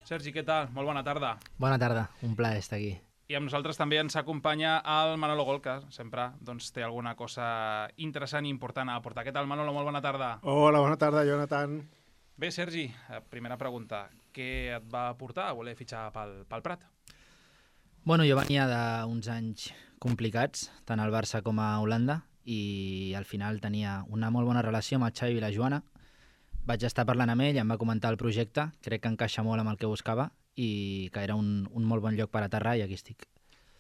Sergi, què tal? Molt bona tarda. Bona tarda, un plaer estar aquí. I amb nosaltres també ens acompanya el Manolo Gol, que sempre té alguna cosa interessant i important a aportar. Què tal, Manolo? Molt bona tarda. Hola, bona tarda, Jonathan. Bé, Sergi, primera pregunta. Què et va portar a voler fitxar pel Prat? Bueno, jo venia d'uns anys complicats, tant al Barça com a Holanda, i al final tenia una molt bona relació amb el Xavi i la Joana. Vaig estar parlant amb ell, em va comentar el projecte, crec que encaixa molt amb el que buscava i que era un molt bon lloc per aterrar i aquí estic.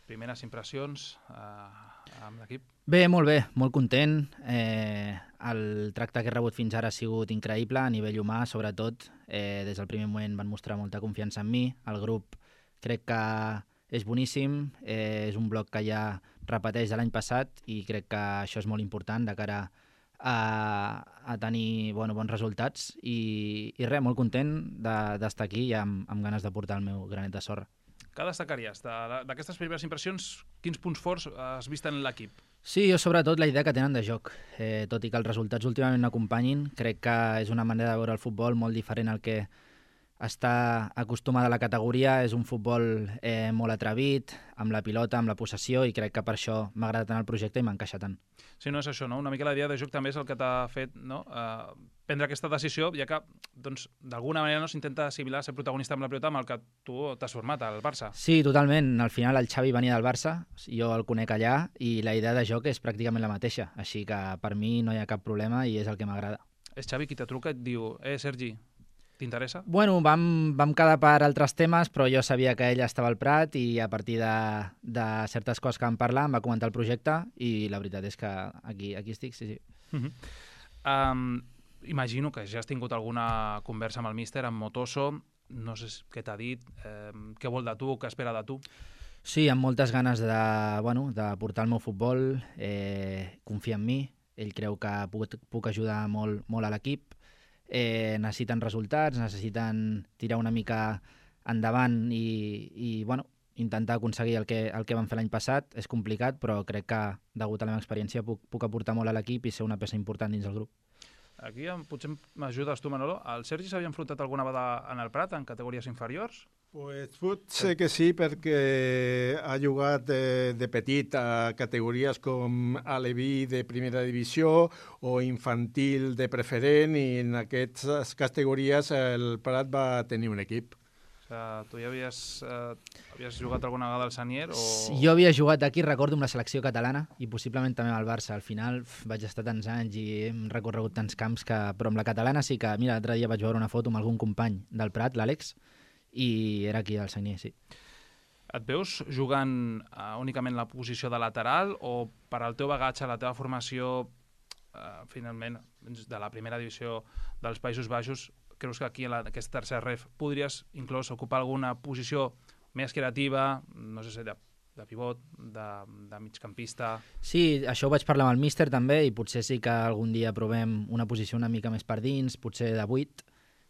Primeres impressions amb l'equip? Bé, molt content. El tracte que he rebut fins ara ha sigut increïble, a nivell humà, sobretot. Des del primer moment van mostrar molta confiança en mi. El grup crec que és boníssim, és un bloc que ja repeteix de l'any passat i crec que això és molt important de cara a tenir bons resultats i res, molt content d'estar aquí i amb ganes de portar el meu granet de sorra. Què destacaries? D'aquestes primeres impressions, quins punts forts has vist en l'equip? Sí, jo sobretot la idea que tenen de joc. Tot i que els resultats últimament no acompanyin, crec que és una manera de veure el futbol molt diferent al que està acostumada a la categoria. És un futbol molt atrevit, amb la pilota, amb la possessió, i crec que per això m'ha agradat tant el projecte i m'encaixa tant. Sí, no és això, no? Una mica la idea de joc també és el que t'ha fet prendre aquesta decisió, ja que d'alguna manera s'intenta assimilar ser protagonista amb la pilota amb el que tu t'has format al Barça. Sí, totalment. Al final el Xavi venia del Barça, jo el conec allà, i la idea de joc és pràcticament la mateixa, així que per mi no hi ha cap problema i és el que m'agrada. És Xavi qui te truca i et diu Sergi, t'interessa? Bueno, vam quedar per altres temes, però jo sabia que ell estava al Prat i a partir de certes coses que vam parlar em va comentar el projecte i la veritat és que aquí estic, sí. Imagino que ja has tingut alguna conversa amb el míster, amb Matoso, no sé què t'ha dit, què vol de tu, què espera de tu? Sí, amb moltes ganes de portar el meu futbol, confia en mi, ell creu que puc ajudar molt a l'equip. Necessiten resultats, necessiten tirar una mica endavant i intentar aconseguir el que van fer l'any passat. És complicat, però crec que, degut a la meva experiència, puc aportar molt a l'equip i ser una peça important dins del grup. Aquí potser m'ajudes tu, Manolo. El Sergi s'havia enfrontat alguna vegada en el Prat, en categories inferiors? Pues potser que sí, perquè ha jugat de petit a categories com Aleví de primera divisió o infantil de preferent, i en aquestes categories el Prat va tenir un equip. Tu ja havies jugat alguna vegada al Sanier? Jo havia jugat aquí, recordo, amb la selecció catalana i possiblement també amb el Barça. Al final vaig estar tants anys i hem recorregut tants camps però amb la catalana sí que, mira, l'altre dia vaig veure una foto amb algun company del Prat, l'Àlex, i era aquí al Sanier, sí. Et veus jugant únicament la posició de lateral o per al teu bagatge, la teva formació, finalment, de la primera divisió dels Països Baixos, creus que aquí, en aquest tercer ref, podries inclús ocupar alguna posició més creativa, no sé si de pivot, de migcampista? Sí, això ho vaig parlar amb el míster també, i potser sí que algun dia provem una posició una mica més per dins, potser de 8,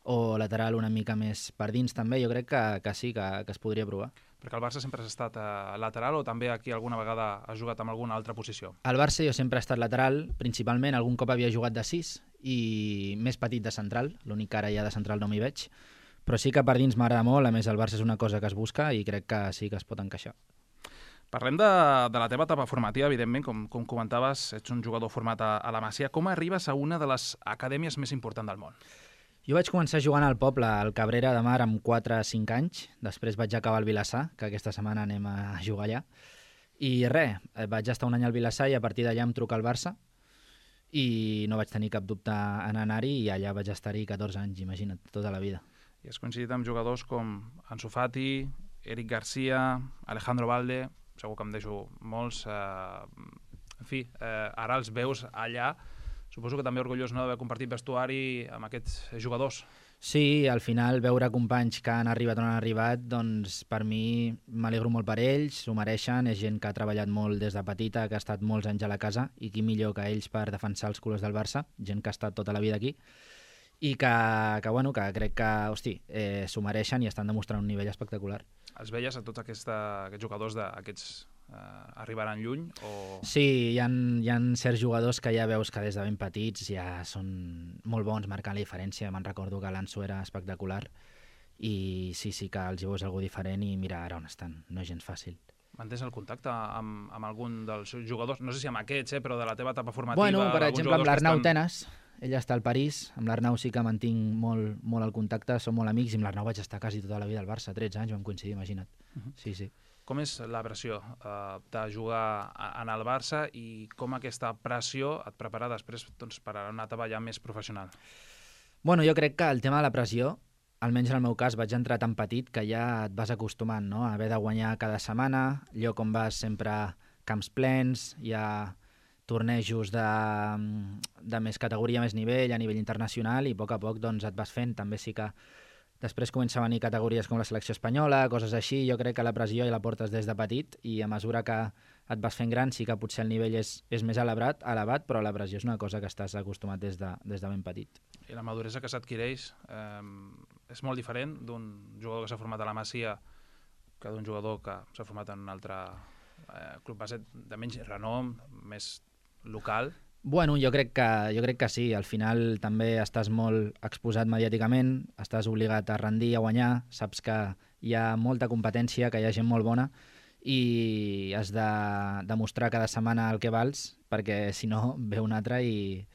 o lateral una mica més per dins també. Jo crec que sí, que es podria provar. Perquè el Barça sempre has estat lateral o també aquí alguna vegada has jugat en alguna altra posició? Al Barça jo sempre he estat lateral, principalment. Algun cop havia jugat de 6 i més petit de central, l'únic que ara ja de central no m'hi veig, però sí que per dins m'agrada molt. A més, el Barça és una cosa que es busca i crec que sí que es pot encaixar. Parlem de la teva etapa formativa, evidentment, com comentaves, ets un jugador format a la Masia. Com arribes a una de les acadèmies més importants del món? Jo vaig començar jugant al poble, al Cabrera de Mar, amb 4 o 5 anys. Després vaig acabar al Vilassar, que aquesta setmana anem a jugar allà. I res, vaig estar un any al Vilassar i a partir d'allà em truca al Barça i no vaig tenir cap dubte en anar-hi i allà vaig estar-hi 14 anys, imagina't, tota la vida. I has coincidit amb jugadors com Ansu Fati, Eric Garcia, Alejandro Valde, segur que em deixo molts. En fi, ara els veus allà. Suposo que també orgullós d'haver compartit vestuari amb aquests jugadors. Sí, al final veure companys que han arribat on han arribat, doncs per mi m'alegro molt per ells, s'ho mereixen, és gent que ha treballat molt des de petita, que ha estat molts anys a la casa, i qui millor que ells per defensar els colors del Barça, gent que ha estat tota la vida aquí, i que crec que s'ho mereixen i estan demostrant un nivell espectacular. Els veies a tots aquests jugadors d'aquests arribaran lluny? Sí, hi ha certs jugadors que ja veus que des de ben petits ja són molt bons marcant la diferència. Me'n recordo que l'Anso era espectacular i sí que els hi veus algú diferent i mira ara on estan, no és gens fàcil. Mantens el contacte amb algun dels jugadors? No sé si amb aquests, però de la teva etapa formativa... Bueno, per exemple, amb l'Arnau estan... Tenes, ell està al París, amb l'Arnau sí que mantinc molt el contacte, som molt amics, i amb l'Arnau vaig estar quasi tota la vida al Barça, 13 anys vam coincidir, imagina't. Sí. Com és la pressió de jugar en el Barça i com aquesta pressió et prepara després per a una etapa ja més professional? Bueno, jo crec que el tema de la pressió, almenys en el meu cas, vaig entrar tan petit que ja et vas acostumant, no? A haver de guanyar cada setmana, lloc on vas sempre camps plens, hi ha tornejos de més categoria, més nivell, a nivell internacional, i a poc doncs, et vas fent. També sí que després comença a venir categories com la selecció espanyola, coses així. Jo crec que la pressió ja la portes des de petit i a mesura que et vas fent gran sí que potser el nivell és més elevat, però la pressió és una cosa que estàs acostumat des de ben petit. I la maduresa que s'adquireix és molt diferent d'un jugador que s'ha format a la Masia que d'un jugador que s'ha format en un altre club base de menys renom, més local. Bueno, jo crec que sí. Al final també estàs molt exposat mediàticament, estàs obligat a rendir, a guanyar, saps que hi ha molta competència, que hi ha gent molt bona i has de demostrar cada setmana el que vals, perquè si no ve un altre i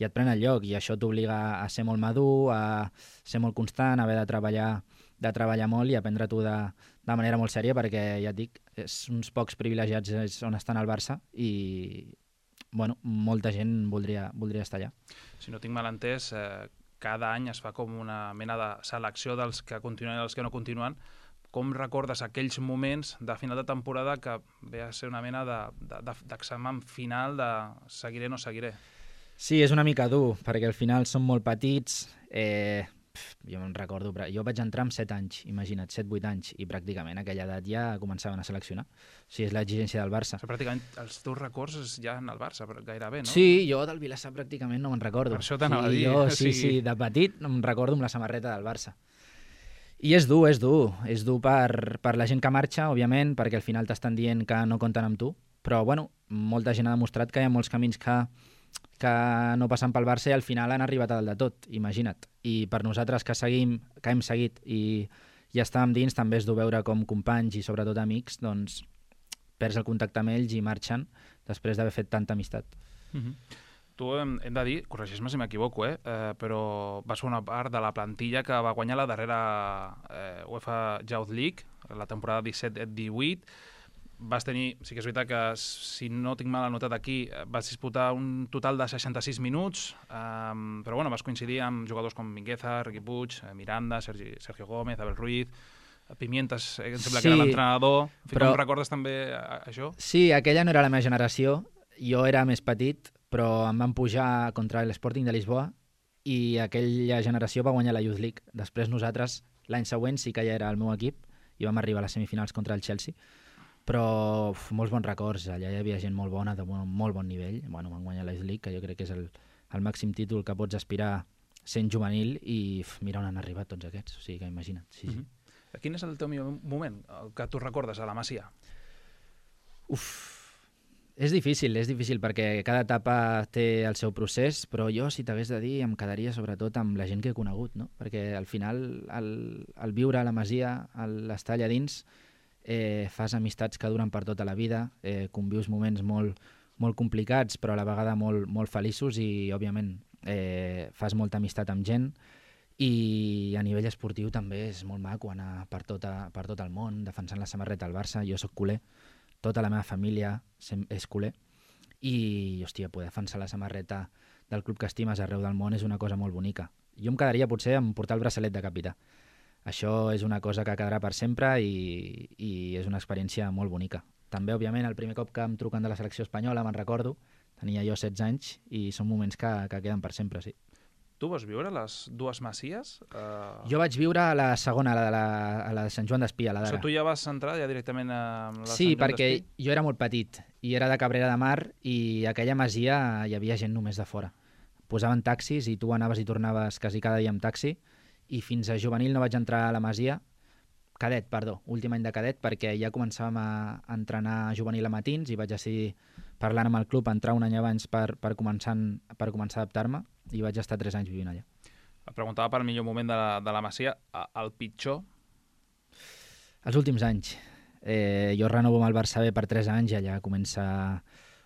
et pren el lloc, i això t'obliga a ser molt madur, a ser molt constant, a haver de treballar molt i aprendre tu de manera molt sèria, perquè ja et dic, és uns pocs privilegiats on estan al Barça i bueno, molta gent voldria estar allà. Si no tinc mal entès, cada any es fa com una mena de selecció dels que continuen i dels que no continuen. Com recordes aquells moments de final de temporada que ve a ser una mena d'examen final de seguiré o no seguiré? Sí, és una mica dur, perquè al final són molt petits. Jo me'n recordo, jo vaig entrar amb 7 anys, imagina't, 7-8 anys, i pràcticament a aquella edat ja començaven a seleccionar. O sigui, és l'exigència del Barça. O sigui, pràcticament els teus records ja en el Barça, gairebé, no? Sí, jo del Vilassar pràcticament no me'n recordo. Per això t'anava a dir. Sí, de petit em recordo amb la samarreta del Barça. I és dur per la gent que marxa, òbviament, perquè al final t'estan dient que no compten amb tu, però bueno, molta gent ha demostrat que hi ha molts camins que no passen pel Barça i al final han arribat a dalt de tot, imagina't. I per nosaltres que hem seguit i estàvem dins, també és dur veure com companys i sobretot amics, doncs perds el contacte amb ells i marxen després d'haver fet tanta amistat. Tu hem de dir, corregeix-me si m'equivoco, però vas formar part de la plantilla que va guanyar la darrera UEFA Youth League, la temporada 17-18. Vas tenir, sí que és veritat que, si no tinc mal anotat aquí, vas disputar un total de 66 minuts, però bueno, vas coincidir amb jugadors com Mingueza, Riqui Puig, Miranda, Sergio Gómez, Abel Ruiz, Pimientas, em sembla que era l'entrenador. Com recordes també això? Sí, aquella no era la meva generació, jo era més petit, però em van pujar contra l'Sporting de Lisboa i aquella generació va guanyar la Youth League. Després nosaltres, l'any següent, sí que ja era el meu equip i vam arribar a les semifinals contra el Chelsea. Però molts bons records, allà hi havia gent molt bona, de molt bon nivell. Bueno, van guanyar la Youth League, que jo crec que és el màxim títol que pots aspirar sent juvenil, i mira on han arribat tots aquests, o sigui que imagina't. Sí. Quin és el teu millor moment, el que tu recordes a la Masia? És difícil, perquè cada etapa té el seu procés, però jo, si t'hagués de dir, em quedaria sobretot amb la gent que he conegut, no? Perquè al final, el viure a la Masia, l'estar allà dins, fas amistats que duren per tota la vida, convius moments molt complicats però a la vegada molt feliços i òbviament fas molta amistat amb gent, i a nivell esportiu també és molt maco anar per tot el món defensant la samarreta del Barça. Jo soc culer, tota la meva família és culer i hòstia, poder defensar la samarreta del club que estimes arreu del món és una cosa molt bonica. Jo em quedaria potser amb portar el braçalet de capità. Això és una cosa que quedarà per sempre i és una experiència molt bonica. També, òbviament, el primer cop que em truquen de la selecció espanyola, me'n recordo, tenia jo 16 anys i són moments que queden per sempre, sí. Tu vas viure a les dues Masies? Jo vaig viure a la segona, a la de Sant Joan d'Espí, a la d'ara. Tu ja vas entrar ja directament a la Sí, Sant Joan perquè d'Espí? jo era molt petit i era de Cabrera de Mar i a aquella masia hi havia gent només de fora. Posaven taxis i tu anaves i tornaves quasi cada dia amb taxi, i fins a juvenil no vaig entrar a la Masia, últim any de cadet, perquè ja començàvem a entrenar juvenil a matins i vaig decidir, parlant amb el club, entrar un any abans per començar a adaptar-me, i vaig estar 3 anys vivint allà. Et preguntava per el millor moment de la Masia, el pitjor? Els últims anys. Jo renovo amb el Barça B per 3 anys i allà comença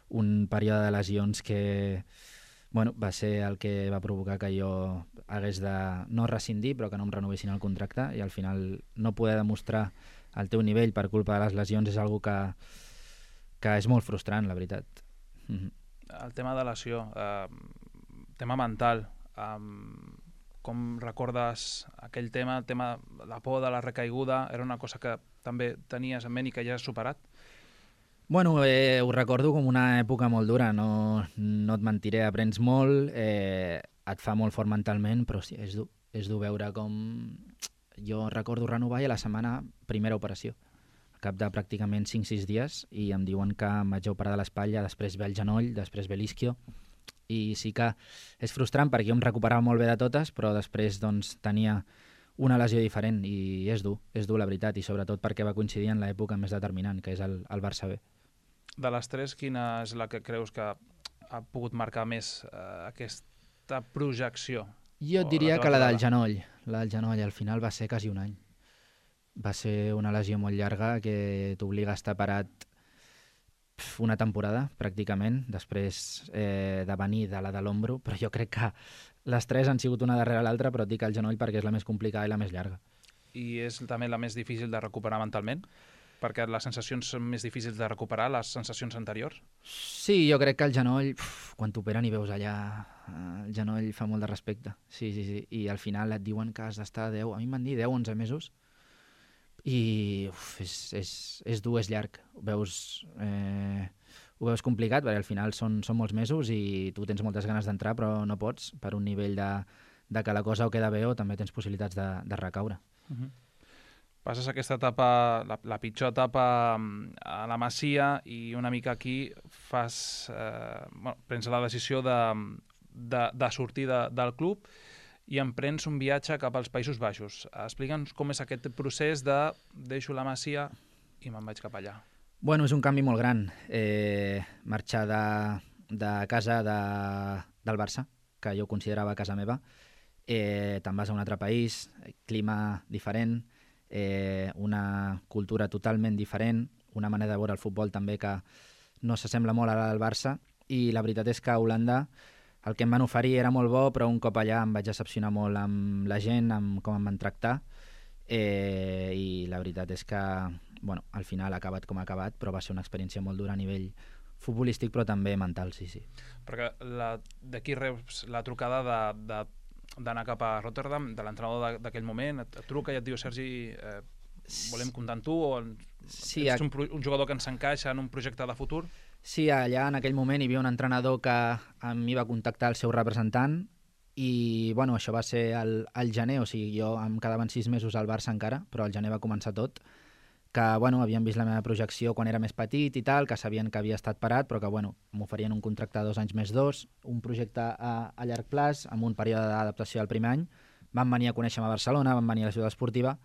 un període de lesions que va ser el que va provocar que jo hagués de no rescindir, però que no em renovessin el contracte, i al final no poder demostrar el teu nivell per culpa de les lesions és algo que és molt frustrant, la veritat. El tema de lesió, tema mental, com recordes aquell tema, el tema de la por de la recaiguda, era una cosa que també tenies en ment i que ja has superat? Bueno, ho recordo com una època molt dura, no et mentiré, aprens molt, et fa molt fort mentalment, però sí, és dur veure com... Jo recordo renovar i a la setmana primera operació, al cap de pràcticament 5-6 dies, i em diuen que em vaig operar de l'espatlla, després ve el genoll, després ve l'isquio, i sí que és frustrant perquè jo em recuperava molt bé de totes, però després doncs, tenia una lesió diferent i és dur la veritat, i sobretot perquè va coincidir en l'època més determinant, que és el Barça B. De les tres, quina és la que creus que ha pogut marcar més aquesta projecció? Jo et diria que la del genoll. La del genoll al final va ser quasi un any. Va ser una lesió molt llarga que t'obliga a estar parat una temporada, pràcticament, després de venir de la de l'ombro, però jo crec que les tres han sigut una darrere l'altra, però et dic el genoll perquè és la més complicada i la més llarga. I és també la més difícil de recuperar mentalment? Perquè les sensacions són més difícils de recuperar, les sensacions anteriors? Sí, jo crec que el genoll, quan t'operen i veus allà, el genoll fa molt de respecte. Sí. I al final et diuen que has d'estar 10, a mi em van dir 10-11 mesos, i és dur, és llarg. Ho veus complicat, perquè al final són molts mesos i tu tens moltes ganes d'entrar, però no pots, per un nivell de que la cosa o queda bé o també tens possibilitats de recaure. Passes aquesta etapa, la pitjor etapa a la Masia, i una mica aquí prens la decisió de sortir del club i emprens un viatge cap als Països Baixos. Explica'ns com és aquest procés de deixo la Masia i me'n vaig cap allà. Bueno, és un canvi molt gran. Marxar de casa del Barça, que jo considerava casa meva, te'n vas a un altre país, clima diferent, una cultura totalment diferent, una manera de veure el futbol també que no s'assembla molt a la del Barça, i la veritat és que a Holanda el que em van oferir era molt bo, però un cop allà em vaig decepcionar molt amb la gent, amb com em van tractar, i la veritat és que al final ha acabat com ha acabat, però va ser una experiència molt dura a nivell futbolístic, però també mental, sí. Perquè d'aquí reps la trucada d'anar cap a Rotterdam, de l'entrenador d'aquell moment, et truca i et diu: Sergi, volem comptar amb tu, o ets un jugador que ens encaixa en un projecte de futur? Sí, allà en aquell moment hi havia un entrenador que a mi va contactar el seu representant, i això va ser al gener, o sigui, jo em quedaven 6 mesos al Barça encara, però al gener va començar tot, que havien vist la meva projecció quan era més petit i tal, que sabien que havia estat parat, però que m'oferien un contracte de 2 anys més 2, un projecte a llarg plaç, amb un període d'adaptació del primer any. Van venir a conèixer-me a Barcelona, van venir a la ciutat esportiva,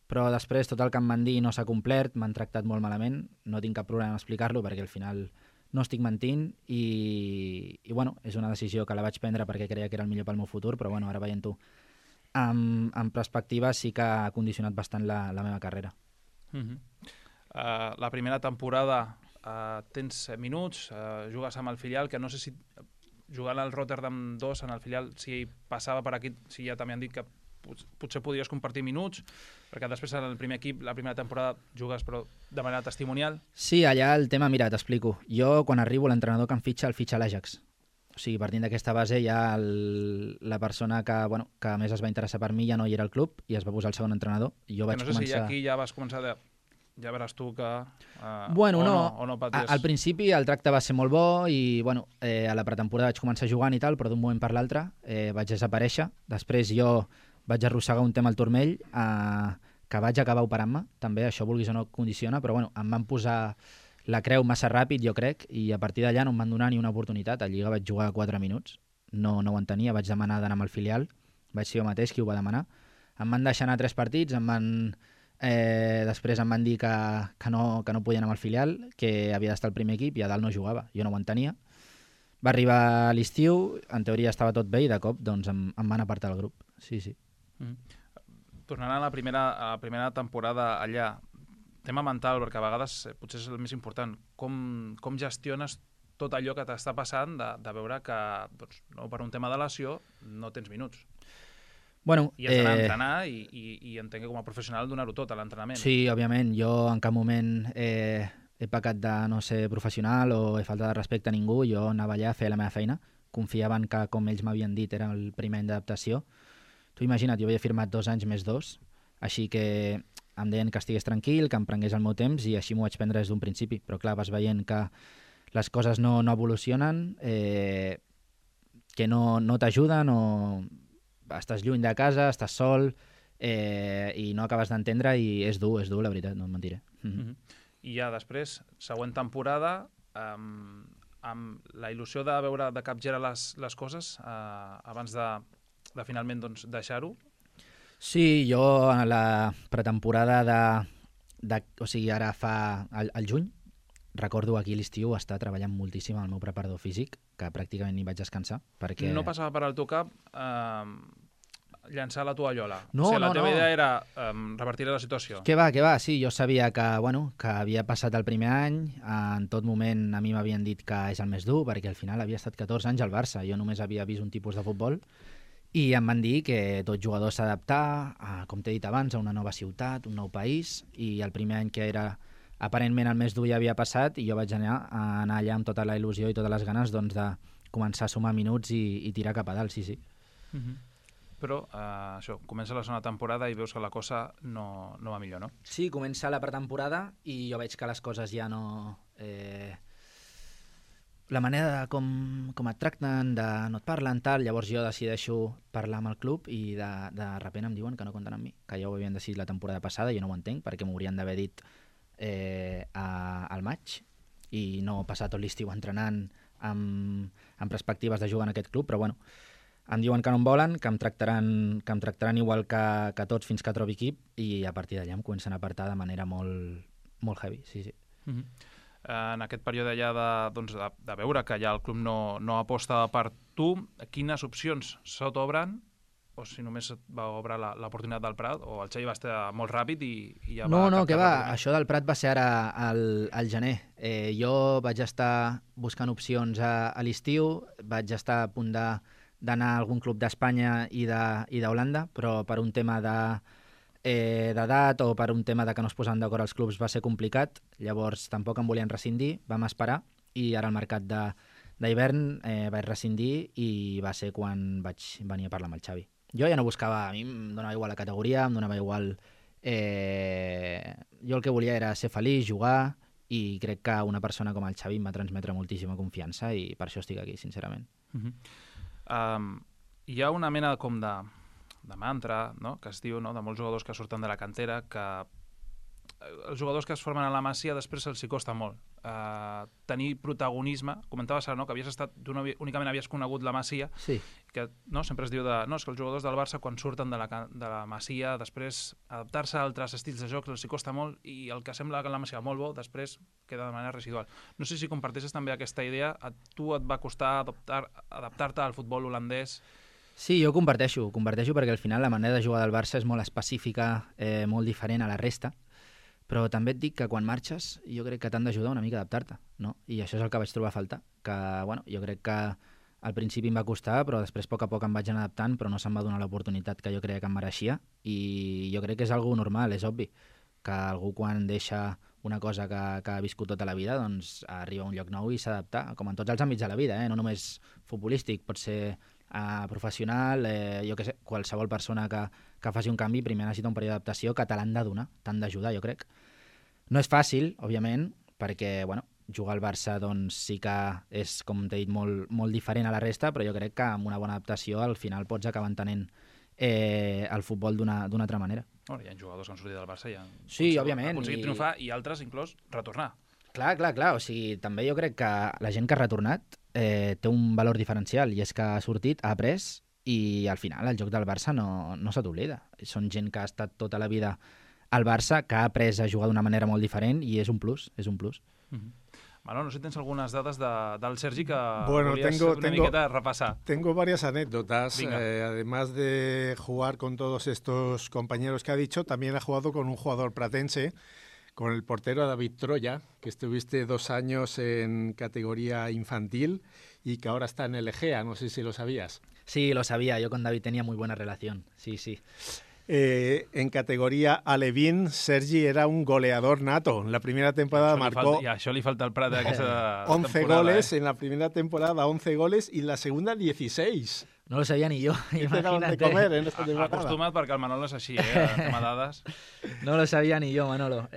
però després tot el que em van dir no s'ha complert, m'han tractat molt malament, no tinc cap problema en explicar-lo perquè al final no estic mentint, i és una decisió que la vaig prendre perquè creia que era el millor pel meu futur, però ara veient-ho en perspectiva sí que ha condicionat bastant la meva carrera. La primera temporada tens minuts, jugues amb el filial, que no sé si jugant al Rotterdam 2 en el filial, si passava per aquí, si ja també han dit que potser podries compartir minuts, perquè després en el primer equip, la primera temporada, jugues però de manera testimonial. Sí, allà el tema, mira, t'explico. Jo, quan arribo, l'entrenador que em fitxa, el fitxa l'Ajax. O sigui, partint d'aquesta base, ja la persona que més es va interessar per mi ja no hi era al club i es va posar el segon entrenador. Jo vaig començar... si aquí ja vas començar ja veràs tu que... no paties. Al principi el tracte va ser molt bo i a la pretemporada vaig començar jugant i tal, però d'un moment per l'altre vaig desaparèixer. Després jo vaig arrossegar un tema al turmell que vaig acabar operant-me, també això vulguis o no condiciona, però em van posar la creu massa ràpid, jo crec, i a partir d'allà no em van donar ni una oportunitat. A Lliga vaig jugar 4 minuts, no ho entenia, vaig demanar d'anar amb el filial, vaig ser jo mateix qui ho va demanar. Em van deixar anar 3 partits, després em van dir que no podia anar amb el filial, que havia d'estar al primer equip i a dalt no jugava. Jo no ho entenia. Va arribar a l'estiu, en teoria estava tot bé i de cop doncs, em van apartar del grup. Sí, sí. Tornant a la primera temporada allà, tema mental, perquè a vegades potser és el més important, com gestiones tot allò que t'està passant de veure que doncs, no, per un tema de lesió no tens minuts? Bueno, I has d'anar a entrenar i entenc que com a professional donar-ho tot a l'entrenament. Sí, òbviament. Jo en cap moment he pecat de no ser professional o he faltat de respecte a ningú. Jo anava allà a fer la meva feina. Confiaven que, com ells m'havien dit, era el primer any d'adaptació. Tu imagina't, jo havia firmat 2 anys més 2, així que em deien que estigués tranquil, que em prengués el meu temps i així m'ho vaig prendre des d'un principi. Però clar, vas veient que les coses no evolucionen, que no t'ajuden o estàs lluny de casa, estàs sol i no acabes d'entendre i és dur, la veritat, no et mentiré. I ja després, següent temporada, amb la il·lusió de veure de capgirar les coses abans de finalment doncs, deixar-ho? Sí, jo a la pretemporada o sigui, ara fa al juny, recordo aquí a l'estiu estar treballant moltíssim al meu preparador físic, que pràcticament ni vaig descansar. Perquè... No passava per al teu cap llançar la tovallola? No, o sigui, la teva idea era revertir la situació? Què va, sí, jo sabia que havia passat el primer any, en tot moment a mi m'havien dit que és el més dur, perquè al final havia estat 14 anys al Barça, jo només havia vist un tipus de futbol, i em van dir que tot jugador s'ha d'adaptar, com t'he dit abans, a una nova ciutat, un nou país, i el primer any que era aparentment el més dur ja havia passat i jo vaig anar allà amb tota la il·lusió i totes les ganes doncs, de començar a sumar minuts i tirar cap a dalt, sí. Però això, comença la segona temporada i veus que la cosa no va millor, no? Sí, comença la pretemporada i jo veig que les coses ja no... La manera de com et tracten, no et parlen, tal, llavors jo decideixo parlar amb el club i de repent em diuen que no compten amb mi, que ja ho havien decidit la temporada passada i jo no ho entenc perquè m'ho haurien d'haver dit al maig i no passar tot l'estiu entrenant amb perspectives de jugar en aquest club, però bueno, em diuen que no em volen, que em tractaran igual que tots fins que trobi equip i a partir d'allà em comencen a apartar de manera molt, molt heavy, sí. En aquest període ja de veure que ja el club no aposta per tu, quines opcions se t'obren? O si només et va obrir l'oportunitat del Prat, o el Xavi va estar molt ràpid i ja va... No, que va, això del Prat va ser ara al gener. Jo vaig estar buscant opcions a l'estiu, vaig estar a punt d'anar a algun club d'Espanya i d'Holanda, però per un tema d'edat o per un tema de que no es posaven d'acord els clubs va ser complicat, llavors tampoc em volien rescindir, vam esperar i ara al mercat d'hivern vaig rescindir i va ser quan vaig venir a parlar amb el Xavi. Jo ja no buscava, a mi em donava igual la categoria, em donava igual... Jo el que volia era ser feliç, jugar, i crec que una persona com el Xavi em va transmetre moltíssima confiança i per això estic aquí, sincerament. Hi ha una mena com de mantra, no?, que es diu, no?, de molts jugadors que surten de la cantera, que els jugadors que es formen a la Masia després els hi costa molt tenir protagonisme. Comentaves ara, no?, que únicament havies conegut la Masia, sí. Que no, sempre es diu és que els jugadors del Barça quan surten de la Masia després adaptar-se a altres estils de joc els hi costa molt i el que sembla que la Masia molt bo després queda de manera residual. No sé si comparteixes també aquesta idea, a tu et va costar adaptar-te al futbol holandès? Sí, jo comparteixo perquè al final la manera de jugar del Barça és molt específica, molt diferent a la resta, però també et dic que quan marxes jo crec que t'han d'ajudar una mica a adaptar-te, no? I això és el que vaig trobar a faltar, que jo crec que al principi em va costar, però després a poc em vaig anar adaptant, però no se'm va donar l'oportunitat que jo creia que em mereixia i jo crec que és algo normal, és obvi, que algú quan deixa una cosa que ha viscut tota la vida doncs arriba a un lloc nou i s'ha d'adaptar, com en tots els àmbits de la vida, no només futbolístic, pot ser professional, jo què sé, qualsevol persona que faci un canvi primer necessita un període d'adaptació que te l'han de donar, t'han d'ajudar, jo crec. No és fàcil, òbviament, perquè jugar al Barça doncs, sí que és, com t'he dit, molt, molt diferent a la resta, però jo crec que amb una bona adaptació al final pots acabar entenent el futbol d'una altra manera. Hi ha jugadors que han sortit del Barça i han aconseguit triomfar i altres inclús retornar. Clar, o sigui, també jo crec que la gent que ha retornat té un valor diferencial i és que ha sortit, ha après i al final el joc del Barça no se t'oblida. Són gent que ha estat tota la vida al Barça, que ha après a jugar d'una manera molt diferent i és un plus, és un plus. Manolo, no sé si tens algunes dades del Sergi que Bueno, volies una miqueta repassar. Tengo varias anécdotas. Venga. Además de jugar con todos estos compañeros que ha dicho, también ha jugado con un jugador pratense, con el portero David Troya, que estuviste 2 años en categoría infantil y que ahora está en el Egea, no sé si lo sabías. Sí, lo sabía, yo con David tenía muy buena relación, sí. En categoría alevín, Sergi era un goleador nato. En la primera temporada marcó I a això li falta el Prat d'aquesta 11 temporada. goles, en la primera temporada 11 goles y en la segunda 16. No lo sabía ni yo, ¿Qué te daban de imagínate. comer en esta temporada? Acostuma't perquè el Manolo és així, en tema dades. No lo sabía ni yo, Manolo.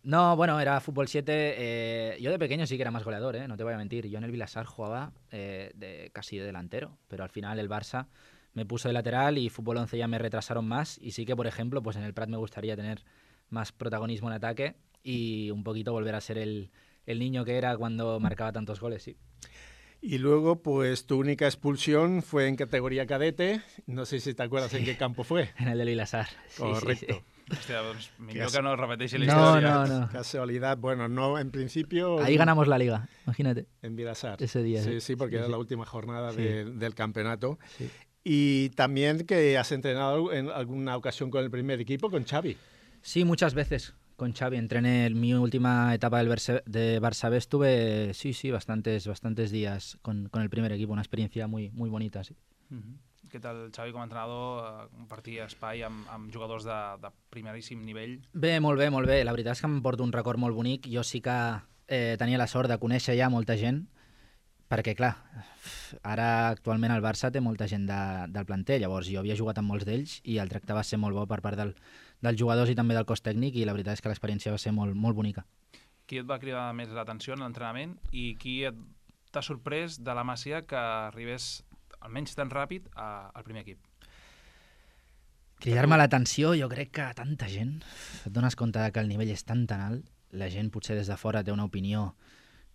No, bueno, era fútbol 7. Yo de pequeño sí que era más goleador, no te voy a mentir. Yo en el Vilassar jugaba casi de delantero, pero al final el Barça me puso de lateral y fútbol 11 ya me retrasaron más. Y sí que, por ejemplo, pues en el Prat me gustaría tener más protagonismo en ataque y un poquito volver a ser el niño que era cuando marcaba tantos goles, sí. Y luego, pues tu única expulsión fue en categoría cadete. No sé si te acuerdas en qué campo fue. En el del Vilassar. Sí, Correcto. sí. Hòstia, doncs millor que no repeteixi la No, història. no. Casualidad. Bueno, no, en principio... Ahí ganamos la liga, imagínate. En Vilassar. Ese día. Sí, porque Sí, era sí. la última jornada Sí. del campeonato. Sí. Y también que has entrenado en alguna ocasión con el primer equipo, con Xavi. Sí, muchas veces con Xavi. Entrené en mi última etapa de Barça B, estuve, sí, bastantes días con el primer equipo, una experiencia muy bonita, sí. Què tal, Xavi, com a entrenador, compartir espai amb jugadors de primeríssim nivell? Bé, molt bé. La veritat és que em porto un record molt bonic. Jo sí que tenia la sort de conèixer ja molta gent, perquè, clar, ara actualment el Barça té molta gent del planter, llavors jo havia jugat amb molts d'ells i el tracte va ser molt bo per part dels jugadors i també del cos tècnic i la veritat és que l'experiència va ser molt bonica. Qui et va cridar més l'atenció en l'entrenament i qui t'ha sorprès de la Masia que arribés almenys tan ràpid al primer equip? Cridar-me l'atenció, jo crec que tanta gent, et dones compte que el nivell és tan alt, la gent potser des de fora té una opinió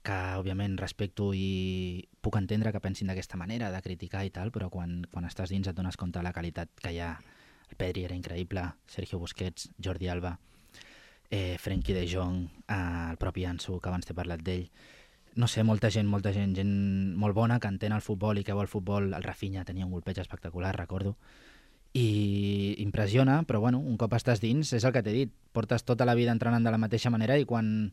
que òbviament respecto i puc entendre que pensin d'aquesta manera, de criticar i tal, però quan estàs dins et dones compte de la qualitat que hi ha. El Pedri era increïble, Sergio Busquets, Jordi Alba, Frenkie de Jong, el propi Ansu, que abans t'he parlat d'ell. No sé, molta gent molt bona que entén el futbol i que vol futbol. El Rafinha tenia un golpeig espectacular, recordo. I impressiona, però bueno, un cop estàs dins, és el que t'he dit, portes tota la vida entrenant de la mateixa manera i quan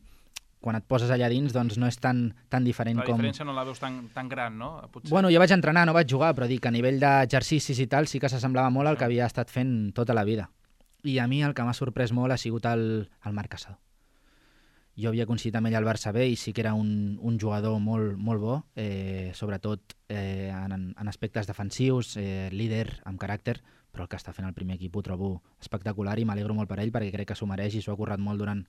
et poses allà dins doncs no és tan diferent com... La diferència no la veus tan gran, no? Potser. Bueno, jo vaig entrenar, no vaig jugar, però dic que a nivell d'exercicis i tal sí que s'assemblava molt al que havia estat fent tota la vida. I a mi el que m'ha sorprès molt ha sigut el Marc Casado. Jo havia coincidit amb ell al Barça B i sí que era un jugador molt bo, sobretot en aspectes defensius, líder, amb caràcter, però el que està fent el primer equip ho trobo espectacular i m'alegro molt per ell perquè crec que s'ho mereix i s'ho ha currat molt durant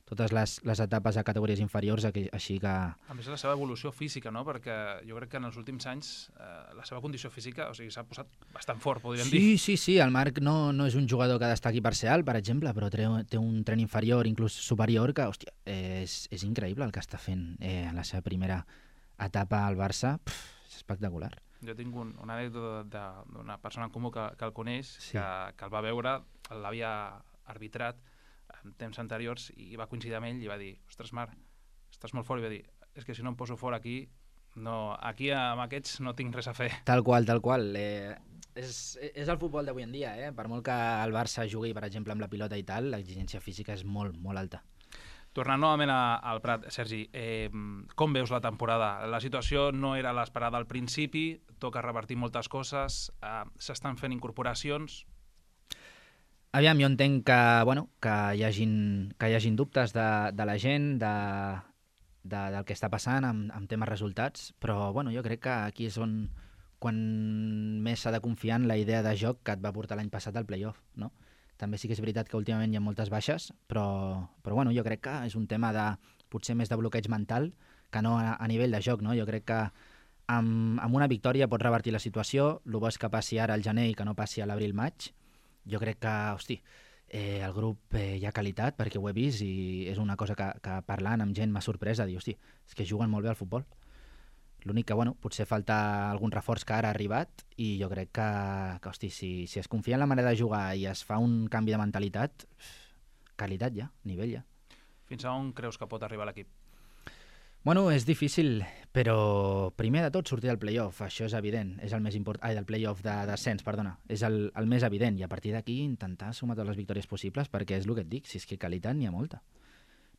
totes les etapes a categories inferiors, així que... A més, la seva evolució física, no? Perquè jo crec que en els últims anys la seva condició física s'ha posat bastant fort, podríem dir. Sí, el Marc no és un jugador que destaqui per ser alt, per exemple, però té un tren inferior, inclús superior, que, hòstia, és increïble el que està fent en la seva primera etapa al Barça. És espectacular. Jo tinc una anècdota d'una persona en comú que el coneix, Sí. que el va veure, l'havia arbitrat en temps anteriors i va coincidir amb ell i va dir: ostres, Marc, estàs molt fort. I va dir: és que si no em poso fort aquí amb aquests no tinc res a fer. Tal qual. És el futbol d'avui en dia, Per molt que el Barça jugui, per exemple, amb la pilota i tal, l'exigència física és molt alta. Tornant novament al Prat, Sergi, com veus la temporada? La situació no era l'esperada al principi, toca revertir moltes coses, s'estan fent incorporacions... Aviam, jo entenc que hi hagin dubtes de la gent, del que està passant amb temes resultats, però jo crec que aquí és on quan més s'ha de confiar en la idea de joc que et va portar l'any passat al play-off, no? També sí que és veritat que últimament hi ha moltes baixes, però jo crec que és un tema potser més de bloqueig mental que no a nivell de joc, no? Jo crec que amb una victòria pots revertir la situació, el bo és que passi ara al gener i que no passi a l'abril-maig. Jo crec que, el grup hi ha qualitat perquè ho he vist i és una cosa que parlant amb gent m'ha sorprès de dir, és que juguen molt bé al futbol. L'únic que, potser falta algun reforç que ara ha arribat i jo crec que si es confia en la manera de jugar i es fa un canvi de mentalitat, qualitat ja, nivell ja. Fins a on creus que pot arribar l'equip? Bueno, és difícil, però primer de tot sortir del play-off, això és evident, és el més important, del play-off de descens, perdona, és el més evident, i a partir d'aquí intentar sumar totes les victòries possibles, perquè és el que et dic, si és que qualitat n'hi ha molta.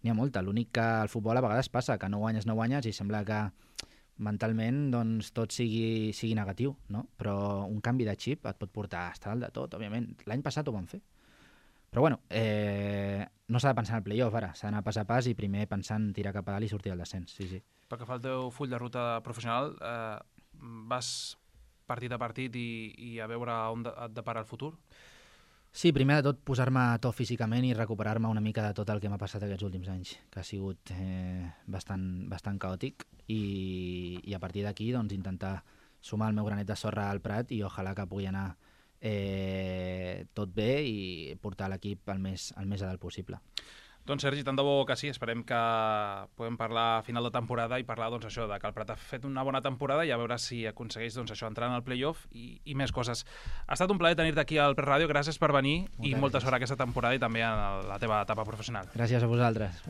N'hi ha molta, l'únic que al futbol a vegades passa, que no guanyes i sembla que mentalment doncs, tot sigui negatiu, no? Però un canvi de xip et pot portar a estar dalt de tot, òbviament. L'any passat ho vam fer. Però bueno, no s'ha de pensar en el play-off ara, s'ha d'anar pas a pas i primer pensar en tirar cap a dalt i sortir del descens, sí. Pel que fa al teu full de ruta professional, vas partit a partit i a veure on et depara el futur? Sí, primer de tot posar-me a to físicament i recuperar-me una mica de tot el que m'ha passat aquests últims anys, que ha sigut bastant caòtic, i a partir d'aquí doncs, intentar sumar el meu granet de sorra al Prat i ojalà que pugui anar tot bé i portar l'equip el més a dalt possible. Doncs Sergi, tant de bo que sí, esperem que podem parlar a final de temporada i parlar doncs, això de que el Prat ha fet una bona temporada i a veure si aconsegueix doncs, això entrar en el play-off i més coses. Ha estat un plaer tenir-te aquí al Prat Ràdio, gràcies per venir i molta sort aquesta temporada i també en la teva etapa professional. Gràcies a vosaltres.